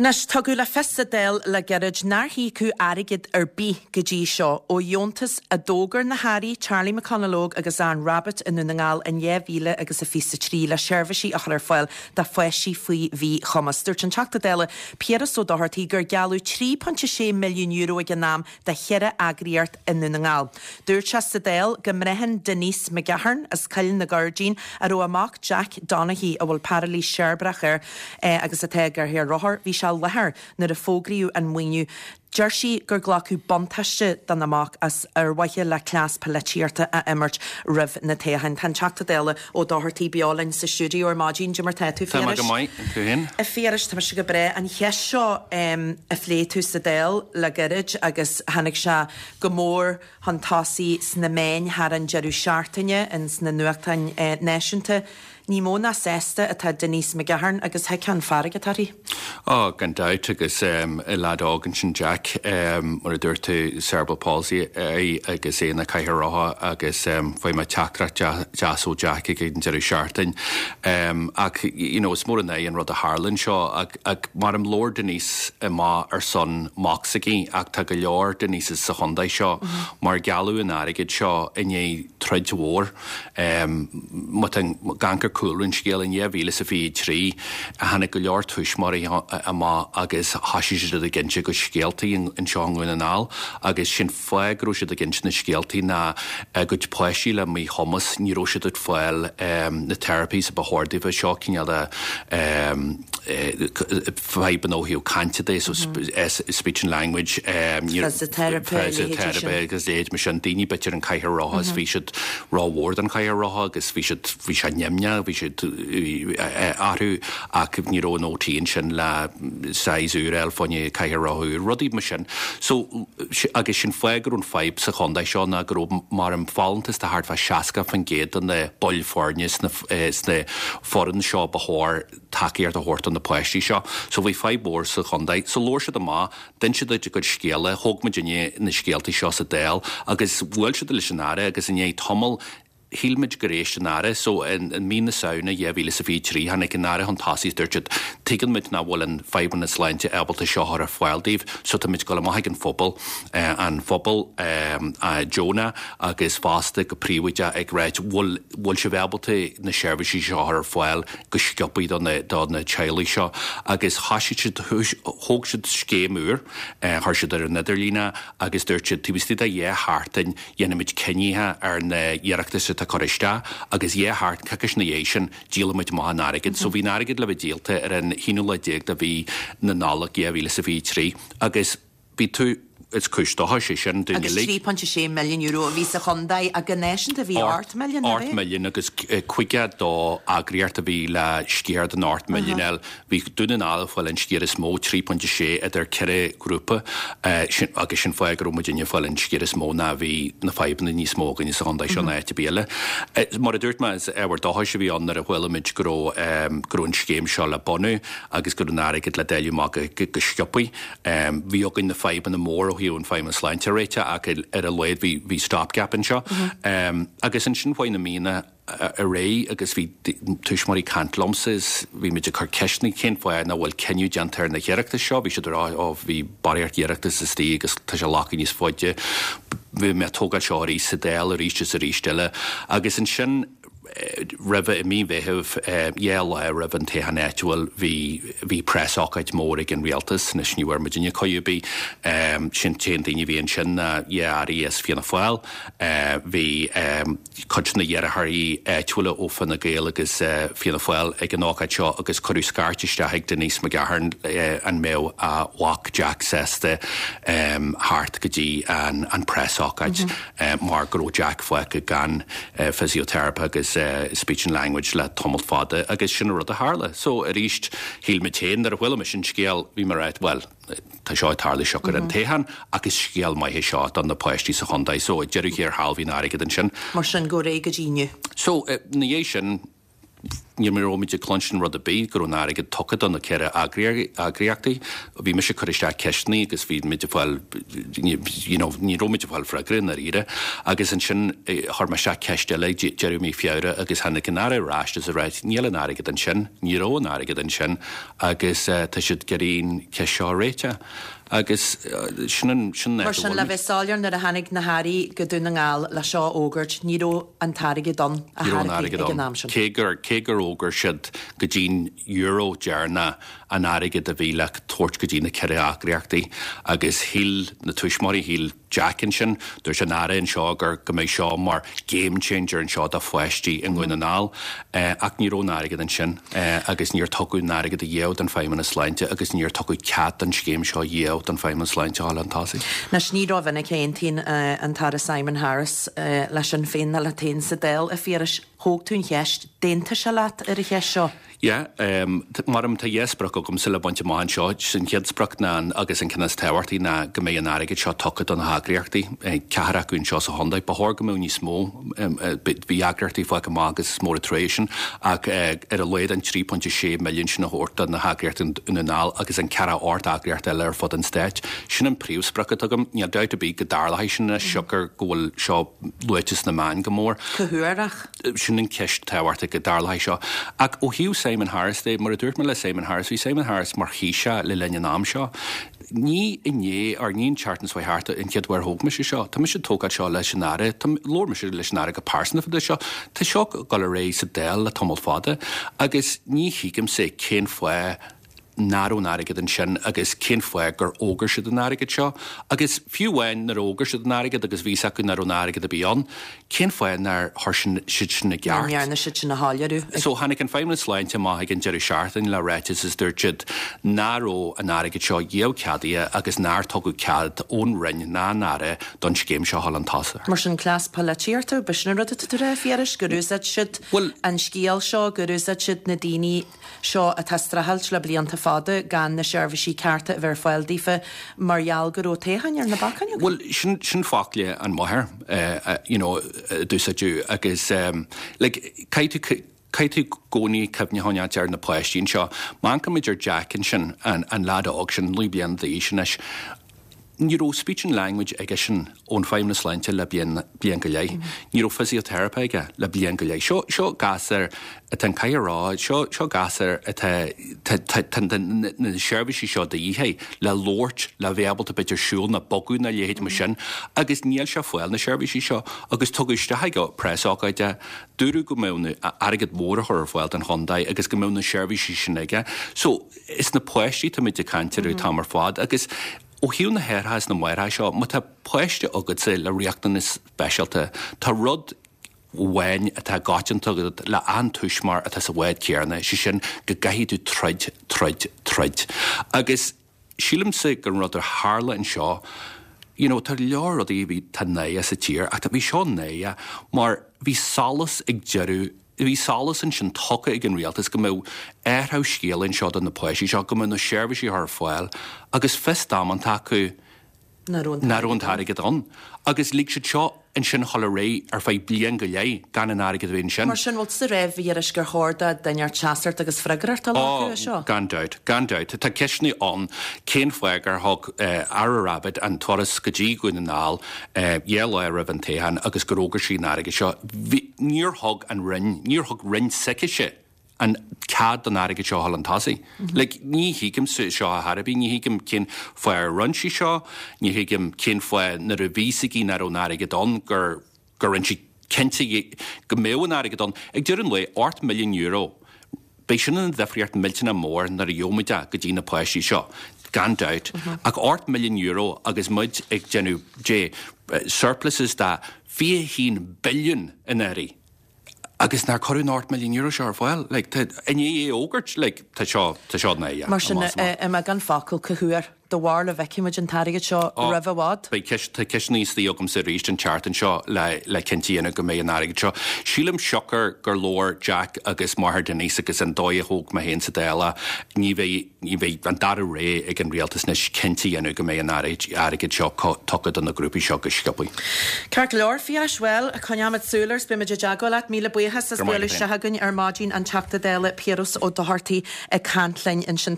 Anois, tugadh le fios sa Dáil le gairid nár híocadh airgead ar bith go dtí seo ó dheontas a d'fhógair na hAirí Charlie McConalogue agus Anne Rabbitte i nDún na nGall in 2023 le seirbhísí a chur ar fáil do pháistí faoi mhíchumas. Dúirt an Teachta Dála Piaras Ó Dochartaigh gur gealladh €3.6 milliún ag an am do cheithre eagraíocht i nDún na nGall. Dúirt sé sa Dáil go mbraitheann Denise McGahern as Coill na Gairdín, a raibh a mac Jack Donaghy, a bhfuil pairilís cheirbreach air agus atá i gcathaoir rothar, bhí sé i láthair nuair a fógraíodh an maoiniú. Deir sí gur glacadh buntáiste dona mac as ar mhaithe le cleas polaitíochta a imirt roimh na toghcháin. Tá an Teachta Dála Ó Dochartaigh beo linn sa stiúideo ar maidin. Cad é mar tá tú, Tá mé go maith, an tú féin? A Phiarais, tá mise go breá. An cheist seo a phléigh tú sa Dáil le gairid agus tháinig sé go mór chun tosaigh sna meáin thar an deireadh seachtaine, ins na nuachtáin náisiúnta. Ní mó ná sásta atá Denise McGahern agus thuigfeá an fearg atá uirthi. Ó, gan dabht, agus leaid óg ansin Jack, mar a dúirt tú, cerebral palsy air agus é ina chathaoir rotha agus fuair mé teachtaireacht deas ó Jack ag an deireadh seachtain. Ach, you know, is mór an ádh an rud a tharla anseo ach, ach mar labhair Denise amach ar son mac s'aici ach tá go leor Denises sa chontae seo mar gealladh an airgead seo i ndiaidh troid mhór. Má tá ag amharc ar cúlra an scéil, in 2023 tháinig go leor tuismitheoirí amach agus thoisigh siad ag inse a gcuid scéaltaí anseo i nDún na nGall agus sé'n fáth go raibh siad ag inse na scéaltaí ná a gcuid páistí le míchumas, ní raibh siad ag fáil na therapies a ba chóir daofa, seo cineál de fadhbanna ó thaobh cainte de, so speech and language, Fisiteiripe, a leithéidí sin. agus a leithéid mar sin, daoine b'fhéidir an cathaoir rotha is bhí siad rómhór don chathaoir rotha agus bhí siad, bhí sé nimhneach, bhí siad orthu ach ní raibh an OT ansin le size úr a fháil fá choinne cathaoir rotha úr, rudaí mar sin. So, agus sin fáth go raibh an fadhb sa chontae seo ná go raibh mar an folúntas de thart fá 60% de na baill foirne sna sna foireann seo ba chóir tacaíocht a thabhairt do na páistí seo. So bhí fadhb mhór sa chontae. So labhair siad amach, d'inis siad a gcuid scéala, thóg muidinne na scéaltaí seo sa Dáil agus bhuail siad leis an Aire agus i ndiaidh tamaill shíl muid gur éist an Aire. So i mí na Samhna 2023 tháinig an Aire chun tosaigh is dúirt siad tuigeann muid nach bhfuil an Feidhmeannas Sláinte ábalta seo a chur ar fáil daoibh so tá muid ag dul amach ag an phobal, an phobal deonach agus fosta go príobháideach ag ráit bhfuil bhfuil sibh ábalta na seirbhísí seo a chur ar fáil go sciobthaí do na do na teaghlaigh seo agus thoisigh siad thóg siad scéim úr, chuir siad ar an idirlíon é agus dúirt siad taobh istigh de dhá sheachtain dhéanfaimid cinnithe ar na hiarratais atá curtha isteach agus dhá sheachtain, coicís ina dhiaidh sin díolfaimid amach an airgead. So bhí an airgead le bheith díolta ar an haonú lá déag de mhí na Nollag 2023 agus bhí tú, is cúis dóchais é sin dúinn Agus uilig. €3.6 milliún a bhí sa chontae ach go náisiúnta bhí 8 milliún, ab 8 é? milliún agus 52 eagraíocht a bhí le sciar den 8 milliún a fháil. Bhí Dún na nGall ag fáil an sciar is mó, 3.6 idir ceithre ghrúpa, sin agus sin fáth go raibh muidinne ag fáil an sciar is mó ná bhí na fadhbanna níos mó againne sa chontae seo ná áit ar bith eile. Mar a dúirt mé, is ábhar dóchais a bhí ann nuair a chuala muid go raibh go raibh an scéim seo le bunú agus go raibh an airgead le dáileadh amach go sciobthaí. Bhí againn na fadhbanna mór ó thaobh an Feidhmeannas Sláinte a réiteach ach ar a laghad bhí bhí stop gap anseo. Agus ansin chuaigh na míonna ar aghaidh agus bhí tuismitheoirí ag caint liomsa is bhí muid ag cur ceisteanna cén fáth nach bhfuil cinneadh déanta ar na hiarratais seo. Bhí siad ag rá ó bhí barraíocht iarratas istigh agus tá sé ag glacadh níos faide. Bhí mé ag tógáil seo arís sa Dáil arís is arís eile. Agus ansin roimhe, i mí Mheithimh, dhá lá roimh an toghchán áitiúil, bhí, bhí preasócáid mór ag an rialtas, anois ní bhfuair muidinne cuireadh ar bith, sin t-aon daoine a bhí ansin ná dhá airí as Fianna Fáil, bhí cuid de na iarrthóirí áitiúla ó Fine Gael agus Fianna Fáil ag an ócáid seo agus cuireadh scairt isteach ag Denise McGahern an mbeadh a mhac Jack sásta theacht go dtí an preasócáid. mar go raibh Jack fágtha gan physiotherapy agus speech and language le tamall fada agus sin an rud a tharla. So arís, shíl muid féin, nuair a chuala mise an scéal, bhí mé ag ráit, bhuel, tá seo ag tarlú siocair an toghchán ach is scéal maith é seo do na páistí sa chontae. So ag deireadh thiar thall bhí an airgead ansin. Mar sin, go réidh go dtí inniu. So, ina dhiaidh sin. Ní raibh muid ag cluinstin rud ar bith go raibh an airgead tugtha do na 4 eagraíochtaí. Bhí mise ag cur isteach ceisteanna agus bhí muid ag fáil, you know, ní raibh muid ag fáil freagra i ndáiríre. Agus ansin chuir mé isteach ceist eile ag deireadh mí Feabhra agus tháinig an Aire ar ais is ag rá níl an airgead ansin, ní raibh an airgead ansin agus tá siad ag iarraidh an cheist seo a réiteach. Agus sin an, sin an áit a Mar sin, bhfuil le muid. bheith soiléir, nuair a tháinig na hAirí go Dún na nGall le seo a fhógairt, ní raibh an t-airgead ann a Ní raibh an chor ar bith airgead ag an ann. am sin. Cé gur, cé gur fhógair siad go dtí'n euro deireanach an airgead a bhí le tabhairt go dtí na 4 eagraíochtaí agus shíl na tuismitheoirí, shíl Jack ansin, dúirt an Aire anseo gur go mbeidh seo mar game changer anseo do pháistí i nDún na nGall ach ní raibh an airgead ansin agus níor tugadh an airgead a dhiaidh don Feidhmeannas Sláinte agus níor tugadh cead don scéim seo a dhiaidh don Feidhmeannas Sláinte a dhul chun tosaigh. Anois ní rómhinic a aontaíonn an tAire Simon Harris le Sinn Féin ná leat féin sa Dáil, a Phiarais. Thóg tú an cheist. D'aontaigh sé leat ar an cheist seo? Yeah, mar tá dhá sprioc agamsa le baint amach anseo. An chéad sprioc ná, agus an ceann is tábhachtaí, ná go mbeidh an airgead seo tugtha do na heagraíochtaí, ceathrar acu anseo sa chontae. Ba chóir go mbeadh níos mó, bhí eagraíochtaí fágtha amach agus is mór an trua é sin, ach ar a laghad an 3.6 milliún sin a thabhairt do na heagraíochtaí i nDún na nGall agus an ceathracha 8 eagraíocht eile ar fud an stáit. Sin an príomhsprioc atá agam. Níl dabht ar bith go dtarlóidh sin anois siocair go bhfuil seo luaite sna meáin go mór. Cá huair ach? Sin an cheist tábhachtach go dtarlóidh seo. Ach ó thaobh Simon Harris de, mar a dúirt mé le Simon Harris, bhí Simon Harris mar Thaoiseach le linn an am seo. Ní inné, or ní an tseachtain seo thart an chéad uair a thóg mise seo. Tá mise ag tógáil seo leis an Aire. Tá, labhair mise leis an Aire go pearsanta fá dtaobh seo. Tá seo ag dul ar aghaidh sa Dáil le tamall fada agus ní thuigimse cén fáth nach raibh an airgead ansin agus cén fáth gur fhógair siad an airgead seo agus fiú amháin nuair a fhógair siad an airgead agus bhí fhios acu nach raibh an airgead ar bith ann, cén fáth nár chuir siad sin i gceart? Nach ndearna siad sin a shoiléiriú. So tháinig an Feidhmeannas Sláinte amach ag an deireadh seachtaine le ráiteas is dúirt siad nach raibh an airgead seo riamh ceadaithe agus nár tugadh cead ón Roinn ná an Aire don scéim seo a dhul chun tosaigh. Mar sin cleas polaitíochta, b'shin an rud atá tú a rá, a Phiarais, gur úsáid siad an scéal seo, gur úsáid siad na daoine seo atá ag streachailt le blianta fada gan na seirbhísí cearta a bheith ar fáil daofa mar gheall go raibh toghchán ar na bacáin againn. Bhuel, sin, sin focla an mháthair, you know, a d'úsáideadh agus like, caithfidh tú, caithfidh tú i gcónaí cuimhne a choinneáilt ar na páistí anseo. Má amharcaimid ar Jack ansin, an, an leaid óg sin, 9 bliana d'aois anois, Ní raibh speech and language aige sin ón Feidhmeannas Sláinte le bliain, bliain go leith. Ní raibh physiotherapy aige le bliain go leith. Seo, seo gasúr atá an caithfidh a rá, seo, seo gasúr atá, tá, tá, tá na, na seirbhísí seo de dhíth air le labhairt, le bheith ábalta b'fhéidir siúl nó bogadh nó a leithéid mar sin agus níl sé ag fáil na seirbhísí seo agus tugadh isteach ag preasócáid é. Dúradh go mbeadh na, airgead mór á chur ar fáil don chontae agus go mbeadh na seirbhísí sin aige. So, Is na páistí táimid ag caint orthu an t-am ar fad agus ó thaobh na haithreacha is na máithreacha seo, má tá páiste agatsa le riachtanas speisialta, tá rud amháin atá i gcoitianta agat le achan tuismitheoir atá sa bhád céanna, sé sin go gcaithfidh tú troid, troid, troid. Agus sílimse gur an rud a tharla anseo, you know, tá leor rudaí a bhí, tá náire sa tír ach bhí seo náire mar bhí solas ag deireadh Bhí solas ansin tugtha ag an rialtas go mbeadh athrú scéil anseo do na páistí seo, go mbeadh na seirbhísí ar fáil agus fios damanta acu nach raibh an t-airgead ann. Agus lig siad seo ansin a dhul ar aghaidh ar feadh bliain go leith gan an airgead a bheith ansin. Mar sin, bhfuil tusa ag rá, a Phiarais, gur chóir do dhuine inteacht seasamh agus freagracht a ghlacadh as seo? Ó, gan dabht, gan dabht. Tá ceisteanna ann cén fáth gur thug Aire Rabbitte an turas go dtí Dhún na nGall dhá lá roimh an toghchán agus gur fhógair sí an airgead seo. Bhí, níor thug an Roinn, níor thug Roinn s'aicise an cead don airgead seo a dhul chun tosaigh. Like, ní thuigimse seo ar chor ar bith, ní thuigim cén fáth ar rinne sí seo, ní thuigim cén fáth nuair a bhí fhios aici nach raibh an airgead ann gur, gur rinne sí cinnte go mbeadh an airgead ann. Ag deireadh an lae, €8 milliún, beidh sin ina dhifríocht millteanach mór nuair a gheobhaimid é go dtí na páistí seo, gan dabht. Ach €8 milliún agus muid ag déanamh, dé, surpluses de 21 billiún anuraidh agus nár cuireadh an €8 milliún seo ar fáil, like, tá, i ndiaidh é a fhógairt, like, tá seo, tá seo náireach. Mar sin, i mbeagán focal, cá huair? Do bharúil an bhfeicfidh muid an t-airgead seo roimh i bhfad? Beidh ceist, tá ceisteanna istigh agamsa arís an tseachtain seo le le cinnte a dhéanamh go mbeidh an airgead seo. Sílim siocair gur labhair Jack agus máthair Denise agus an dóigh a thóg mé féin sa Dáil é, ní bheidh, ní bheidh an dara rogha ag an rialtas anois cinnte a dhéanamh go mbeidh an airgead seo tugtha do na grúpaí seo go sciobtha. Ceart go leor, Phiarais, bhuel, coinneoimid súil air 's beimid i dteagmháil leat. Míle buíochas as bualadh isteach againn ar maidin, an Teachta Dála Piaras Ó Dochartaigh ag caint linn ansin.